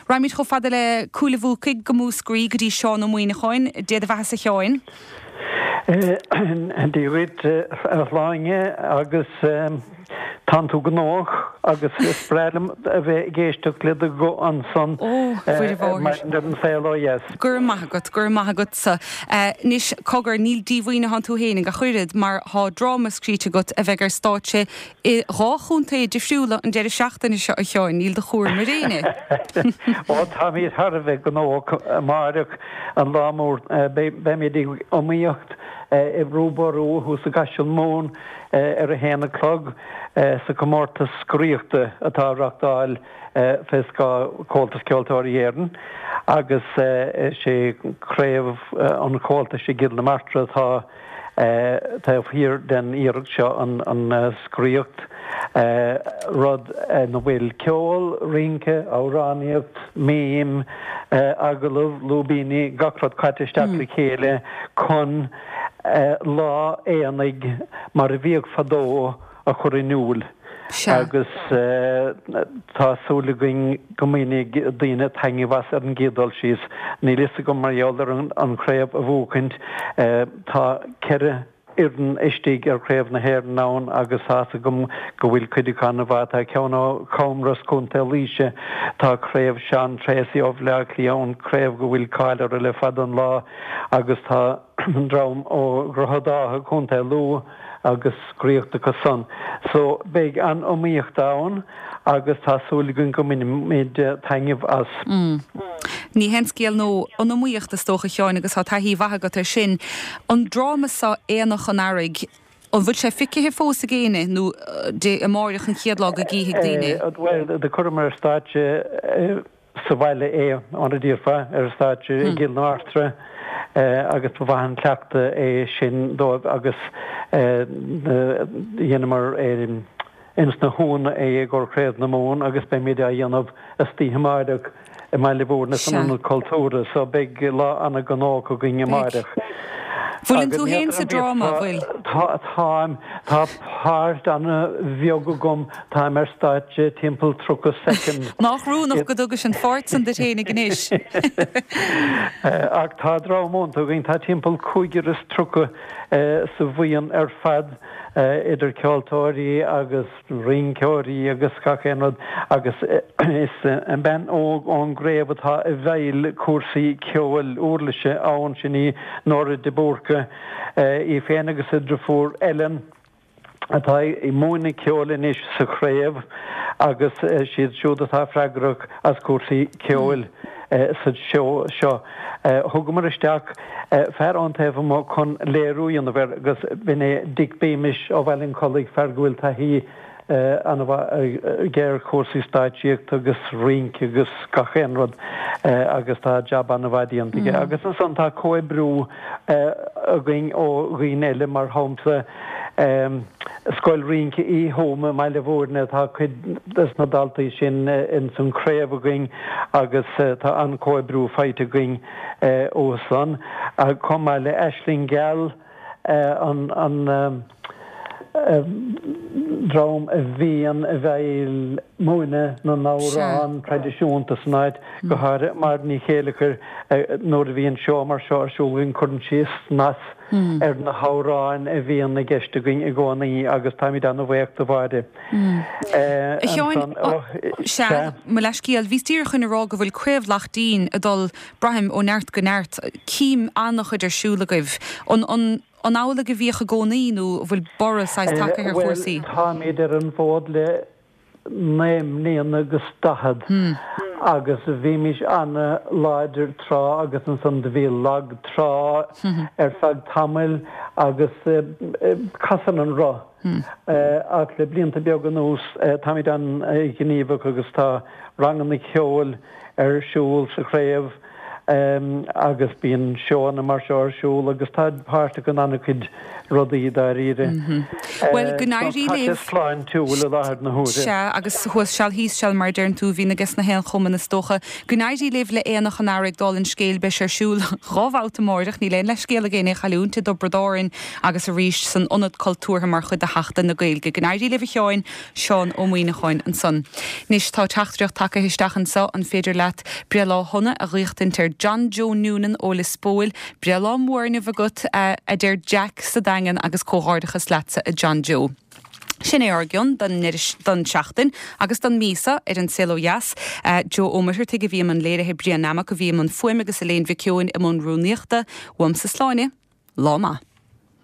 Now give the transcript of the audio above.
Raghaimid chomh fada le Cúil a' Bhuacaigh go Múscraí go dtí Seán Ó Muíneacháin. Dé do bheathasa a Sheáin. Dia dhuit a Shláine agus tánn tú gnóthach agus is breá liom a bheith ag éisteacht le do ghuth ansan ar maidin ar An Saol Ó Dheas. Go raibh maith agat, go raibh maith agatsa. Anois, cogar, níl díomhaoin atánn tú fhéinig ach oiread, mar thá dráma scríte agat a bheidh ar stáitse i dhá chontae difriúla an deireadh seachtaine seo, a Sheáin, níl do chúram ar éinne. Ó, táimid thar a bheith gnóthach amáireach, an lá mór, beimid ag iomaíocht i Brú Ború thuas i gCaiseal Mumhan ar a haon a chlog sa chomórtas scoraíochta atá á reachtáil fé scáth Chomhaltas Ceoltóirí Éireann agus is é Craobh an Chomhaltais i gCill na Martra atá taobh thiar den iarracht seo, an scoraíocht, rud ina bhfuil ceol, rince, amhránaíocht, mím, agallamh, lúibíní, gach rud caite isteach le chéile chun lá aonaigh mar a bhíodh fadó a chur in iúl agus tá súil againn go mbainfidh daoine taitneamh as ar an gcéad dul síos. Níl fhios agam mar gheall ar an chraobh a bhuachaint, tá 4 fhoireann istigh ar chraobh na hÉireann ann agus tá fhios agam go bhfuil cuid acu an-mhaith. Tá ceann ó Chamros, Contae Laoise, tá craobh Sean Treacy ó Bhaile Átha Cliath ann, craobh go bhfuil cáil uirthi le fada an lá agus tá dream ó Dhroichead Átha, Contae Lú agus scoraíocht acu san. So beidh an-iomaíocht ann agus tá súil againn go mbainfimid taitneamh as. Ní haon scéal nó an iomaíocht is dócha, a Sheáin, agus tá taithí mhaith agat air sin. An dráma seo, Aonach an Earraigh, an bhfuil sé feicthe fós ag éinne nó dé amáireach an chéad lá go gcífidh daoine? Bhuel, do chuireamar ar stáitse sa bhaile é, mar a déarfá, ar stáitse i gCill na Martra agus ba mhaith an cleachtadh é sin dóibh agus dheineamar ins na hUamhanna é i gcomhair Chraobh na Mumhan agus beimid á dhéanamh istoíche amáireach i mBaile Mhúirne san Ionad Cultúrtha so beidh lá ana-ghnóthach againn amáireach. Bhfuileann tú féin sa dráma, bhfuil? Tá, táim. Tá páirt ana-bheag agam Táim ar stáitse timpeall 30 soicind. Nách rúnach go dtugais an pháirt san duit fhéinig anois. Ach tá dream iontach againn, tá timpeall 35 sa bhuíon ar fad, idir ceoltóirí agus rinceoirí agus gach aon rud, agus is bean óg ón gcraobh atá i bhfeighil cúrsaí ceoil uirlise ann, sin í Nóra de Búrca, í féin agus a driofúr Ellen. atá ag múineadh ceoil anois sa chraobh agus siad siúd atá freagrach as cúrsaí ceoil sa seó seo. Thugamar isteach fear ón taobh amuigh chun léiriú a dhéanamh air agus b'in é Dick Beamish ó Bhaile an Chollaigh, fear go bhfuil taithí an-mhaith aige ar chúrsaí stáitsíochta agus rince agus gach aon rud agus tá jab an-mhaith déanta aige. Agus ansan tá comhoibriú againn ó dhaoine eile, mar shampla Scoil Rince Uí Thuama i mBaile Mhúirne, tá cuid des na daltaí sin ins an chraobh againn agus tá an-chomhoibriú faighte againn uathu san. Chomh maith le Aisling Gheal, an dream a bhíonn i bhfeighil múineadh na n-amhrán traidisiúnta san áit, go háirithe Máire Ní Chéileachair, nuair a bhíonn seó mar seo ar siúl againn cuireann sí snas ar na hamhráin a bhíonn i gceist againn i gcónaí agus táimid an-bhuíoch do Mháire. A Sheáin, sea, mo leithscéal, bhíos díreach chun a rá go bhfuil Craobh Laichtín ag dul, braithim, ó neart go neart. Cím an-chuid ar siúl agaibh. An, an, an amhlaidh a bhíodh i gcónaí nó an bhfuil borradh saghas tagtha ar chúrsaí? Bhuel, táimid ar an bhfód le naoi mbliana agus daichead agus bhímis an-láidir tráth agus ansan do bhí lag trá ar feadh tamaill agus casann an roth. Ach le blianta beaga anuas táimid an-ghníomhach agus tá ranganna ceoil ar siúl sa chraobh. Agus bíonn seóanna mar seo ar siúl agus táid páirteach in an-chuid rudaí dáiríre. Bhuel, go n-éirí libh. Tá sé sláintiúil i láthair na huaire. Sea, agus thuas seal thíos seal mar a deireann tú, a bhíonn ages na haon chumann is dócha. Go n-éirí libh le Aonach an Earraigh dála an scéil, beidh sé ar siúl dha bhabhta amáireach, níl aon leithscéal ag éinne é a chailliúint, i dTiobraid Árann agus arís san Ionad Cultúrtha mar chuid de Sheachtain na Gaeilge. Go n-éirí libh a Sheáin. Seán Ó Muíneacháin ansan. Anois tá teachtaireacht tagaithe isteach anso, an féidir leat breithlá shona a ghuíochtaint ar John Joe Noonan ó Lios Póil, breithlá mór inniu agat a deir Jack sa Daingean agus comhghairdeachas leatsa a John Joe. Sin é ár gcion don don tseachtain agus don mí seo ar An Saol Ó Dheas. Joe Ó Muircheartaigh a bhí i mbun léirithe, Brian Nammock a bhí i mbun fuaime agus Elaine Mhic Eoin i mbun rúnaíochta. Uaimse Sláine. Lá maith.